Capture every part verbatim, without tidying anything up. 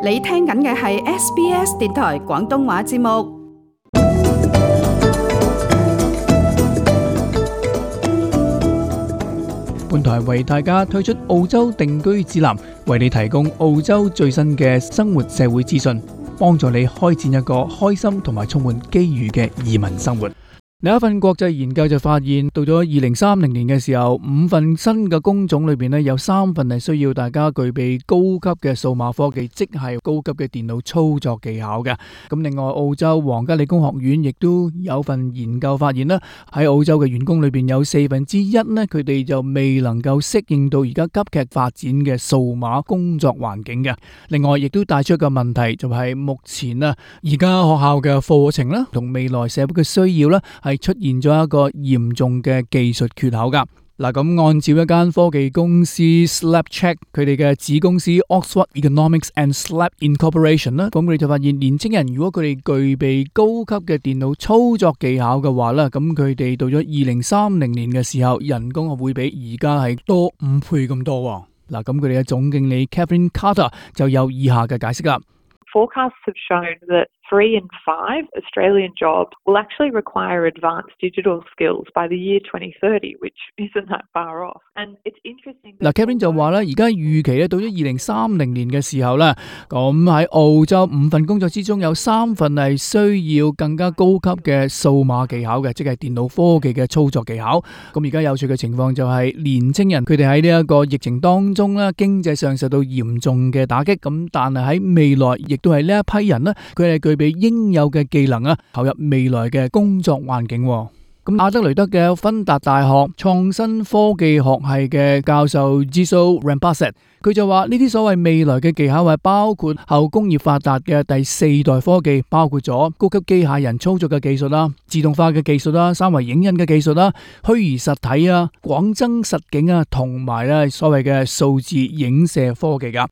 你聽緊嘅係 S B S 電台廣東話節目。本台為大家推出澳洲定居指南，為你提供澳洲最新嘅生活社會資訊，幫助你開展一個開心同埋充滿機遇嘅移民生活。另一份國際研究就發現，到咗二零三零年嘅時候，五份新嘅工種裏邊呢，有三份係需要大家具備高級嘅數碼科技，即係高級嘅電腦操作技巧嘅。咁另外，澳洲皇家理工學院亦都有份研究發現啦，喺澳洲嘅員工裏邊有四分之一呢，佢哋就未能夠適應到而家急劇發展嘅數碼工作環境嘅。另外，亦都帶出一個問題，就係目前啊，而家學校嘅課程啦，同未來社會嘅需要啦，係出現咗一個嚴重嘅技術缺口噶。嗱，咁按照一間科技公司 Slapcheck 佢哋嘅子公司 Oxford Economics and Slap Incorporation 啦，咁佢哋就發現年青人如果佢哋具備高級嘅電腦操作技巧嘅話啦，咁佢哋到咗二零三零年嘅時候，人工係會比而家係多五倍咁多。嗱，咁佢哋嘅總經理 Catherine Carter 就有以下嘅解釋啦。Forecasts have shown that three in five Australian jobs will actually require advanced digital skills by the year twenty thirty, which isn't that far off. And it's interesting. 嗱 Kevin 就話咧，而家預期咧到咗二零三零年嘅時候咧，咁喺澳洲五份工作之中有三份係需要更加高級嘅數碼技巧嘅，即係電腦科技嘅操作技巧。咁而家有趣嘅情況就係年青人佢哋喺呢一個疫情當中咧，經濟上受到嚴重嘅打擊，咁但係喺未來亦都係呢一批人咧，佢哋具備應有嘅技能啊，投入未來嘅工作環境。咁阿德雷德嘅芬達大學創新科技學系嘅教授 Jiso Rampasset， 佢就話呢啲所謂未來嘅技巧係包括後工業發達嘅第四代科技，包括咗高級機械人操作嘅技術啦、自動化嘅技術啦、三維影印嘅技術啦、虛擬實體啊、廣增實境啊，同埋咧所謂嘅數字影射科技噶。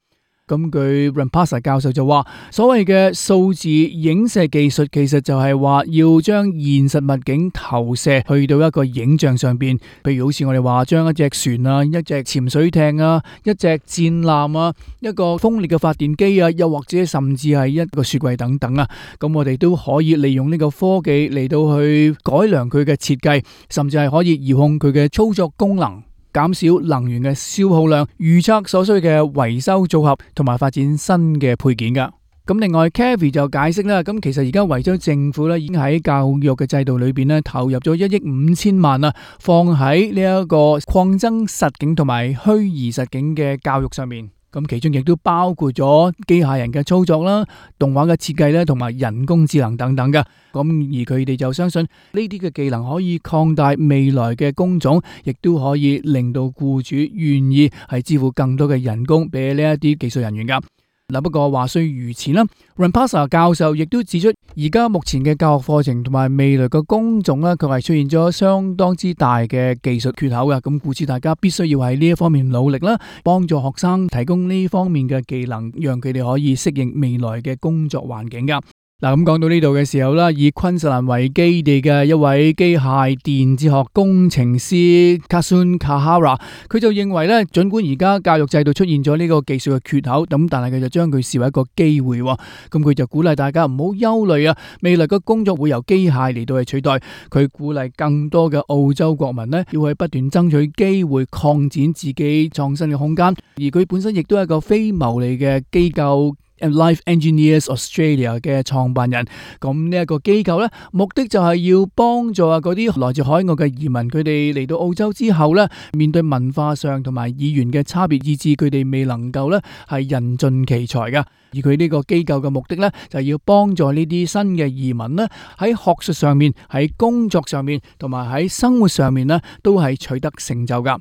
咁據 Rampasset 教授就話，所謂嘅數字影射技術其實就係話要將現實物景投射去到一個影像上邊，譬如好似我哋話將一隻船啊、一隻潛水艇啊、一隻戰艦啊、一個風力嘅發電機啊，又或者甚至係一個雪櫃等等啊，咁我哋都可以利用呢個科技嚟到去改良佢嘅設計，甚至係可以遙控佢嘅操作功能，減少能源嘅消耗量，預測所需嘅維修組合，同埋發展新嘅配件噶。咁另外 Kathy 就解釋啦，咁其實而家維州政府咧已經喺教育嘅制度裏邊咧投入咗一億五千萬啊，放喺呢一個擴增實境同埋虛擬實境嘅教育上面。咁其中亦都包括咗機械人嘅操作啦、動畫嘅設計咧，同埋人工智能等等嘅。咁而佢哋就相信呢啲嘅技能可以擴大未來嘅工種，亦都可以令到僱主願意係支付更多嘅人工俾呢一啲技術人員噶。嗱，不過話雖如此啦 Rampasset 教授亦都指出，而家目前嘅教學課程同埋未來嘅工種咧，佢係出現咗相當之大嘅技術缺口嘅。咁故此大家必須要喺呢一方面努力啦，幫助學生提供呢方面嘅技能，讓佢哋可以適應未來嘅工作環境噶。嗱，咁講到呢度嘅時候啦，以昆士蘭為基地嘅一位機械電子學工程師 Kasun Kahara， 佢就認為咧，儘管而家教育制度出現咗呢個技術嘅缺口，咁但係佢就將佢視為一個機會。咁佢就鼓勵大家唔好憂慮啊，未來嘅工作會由機械嚟到去取代。佢鼓勵更多嘅澳洲國民呢，要去不斷爭取機會，擴展自己創新嘅空間。而佢本身亦都係一個非牟利嘅機構Life Engineers Australia 嘅創辦人，咁呢一個機構咧，目的就係要幫助啊嗰啲來自海外嘅移民，佢哋嚟到澳洲之後咧，面對文化上同埋語言嘅差別，以致佢哋未能夠咧係人盡其才噶。而佢呢個機構嘅目的咧，就係要幫助呢啲新嘅移民咧，喺學術上面、喺工作上面同埋喺生活上面咧，都係取得成就噶。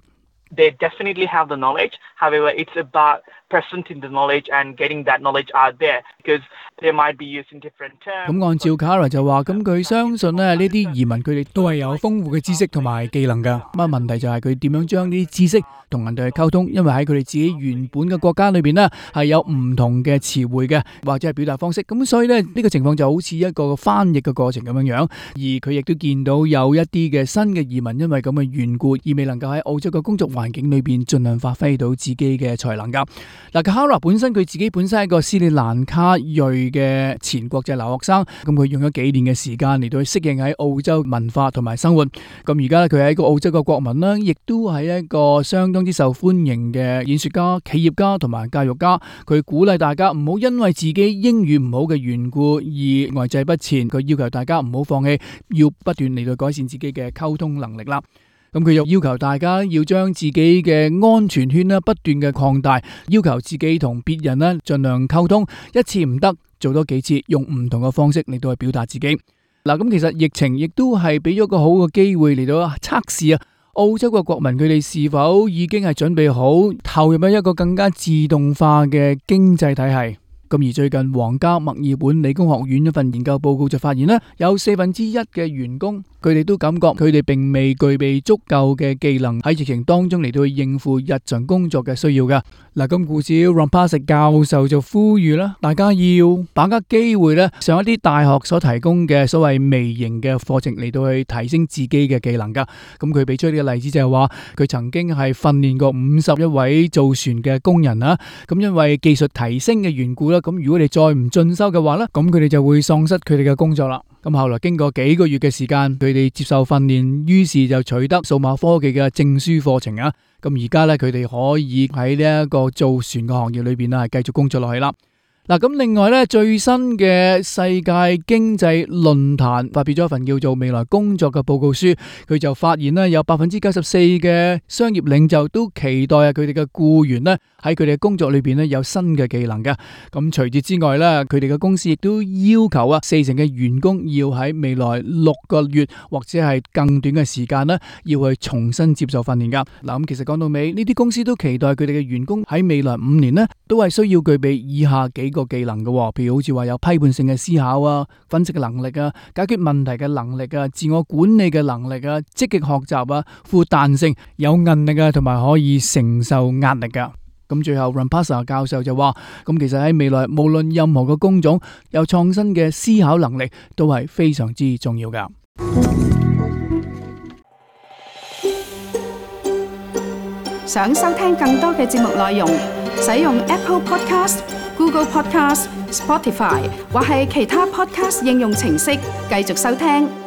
They definitely have the knowledge. However, it's about presenting the knowledge and getting that knowledge out there because they might be using different terms. 咁按照 Cara 就話，咁佢相信咧呢啲移民佢哋都係有豐富嘅知識同埋技能噶。咁啊問題就係佢點樣將呢啲知識同人哋去溝通，因為喺佢哋自己原本嘅國家裏邊呢，係有唔同嘅詞彙嘅，或者係表達方式。咁所以咧呢個情況就好似一個翻譯嘅過程咁樣樣。而佢亦都見到有一啲嘅新嘅移民因為咁嘅緣故，而未能夠喺澳洲嘅工作環境裏邊盡量發揮到自己嘅才能噶。嗱，Kahara本身佢自己本身係一個斯里蘭卡裔嘅前國際留學生，咁佢用咗幾年嘅時間嚟到去適應喺澳洲文化同埋生活。咁而家咧佢係一個澳洲嘅國民啦，亦都係一個相當之受歡迎嘅演說家、企業家同埋教育家。佢鼓勵大家唔好因為自己英語唔好嘅緣故而呆滯不前，佢要求大家唔好放棄，要不斷嚟到改善自己嘅溝通能力啦。咁佢又要求大家要將自己嘅安全圈咧不斷嘅擴大，要求自己同別人咧盡量溝通，一次唔得做多幾次，用唔同嘅方式嚟到去表達自己。嗱，咁其實疫情亦都係俾咗個好嘅機會嚟到測試啊，澳洲嘅國民佢哋是否已經係準備好投入喺一個更加自動化嘅經濟體系。咁而最近皇家墨爾本理工學院一份研究報告就發現咧，有四分之一嘅員工佢哋都感覺佢哋並未具備足夠嘅技能喺疫情當中嚟到去應付日常工作嘅需要噶。嗱，咁故此 Rampasa 教授就呼籲啦，大家要把握機會咧，上一啲大學所提供嘅所謂微型嘅課程嚟到去提升自己嘅技能噶。咁佢俾出呢個例子就係話，佢曾經係訓練過五十一位造船嘅工人啦。咁因為技術提升嘅緣故啦，咁如果你再唔進修嘅話咧，咁佢哋就會喪失佢哋嘅工作啦。咁後來經過幾個月嘅時間，佢哋接受訓練，於是就取得數碼科技嘅證書課程啊。咁而家咧，佢哋可以喺呢一個造船嘅行業裏邊啦，係繼續工作落去啦。嗱，咁另外咧，最新嘅世界經濟論壇發表咗一份叫做《未來工作》嘅報告書，佢就發現咧，有百分之九十四嘅商業領袖都期待啊，佢哋嘅僱員咧喺佢哋嘅工作裏邊咧有新嘅技能嘅。咁除此之外咧，佢哋嘅公司亦都要求啊，四成嘅員工要喺未來六個月或者係更短嘅時間咧，要去重新接受訓練噶。嗱，咁其實講到尾，呢啲公司都期待佢哋嘅員工喺未來五年咧，都係需要具備以下幾個技能嘅，譬如好似話有批判性嘅思考啊、分析嘅能力啊、解決問題嘅能力啊、自我管理嘅能力啊、積極學習啊、富彈性、有韌力啊，同埋可以承受壓力噶。咁最後 Rampasa 教授就話，咁其實喺未來無論任何嘅工種，有創新嘅思考能力都係非常之重要噶。想收聽更多嘅節目內容，使用 Apple Podcast、Google Podcast、Spotify 或係其他 Podcast 應用程式繼續收聽。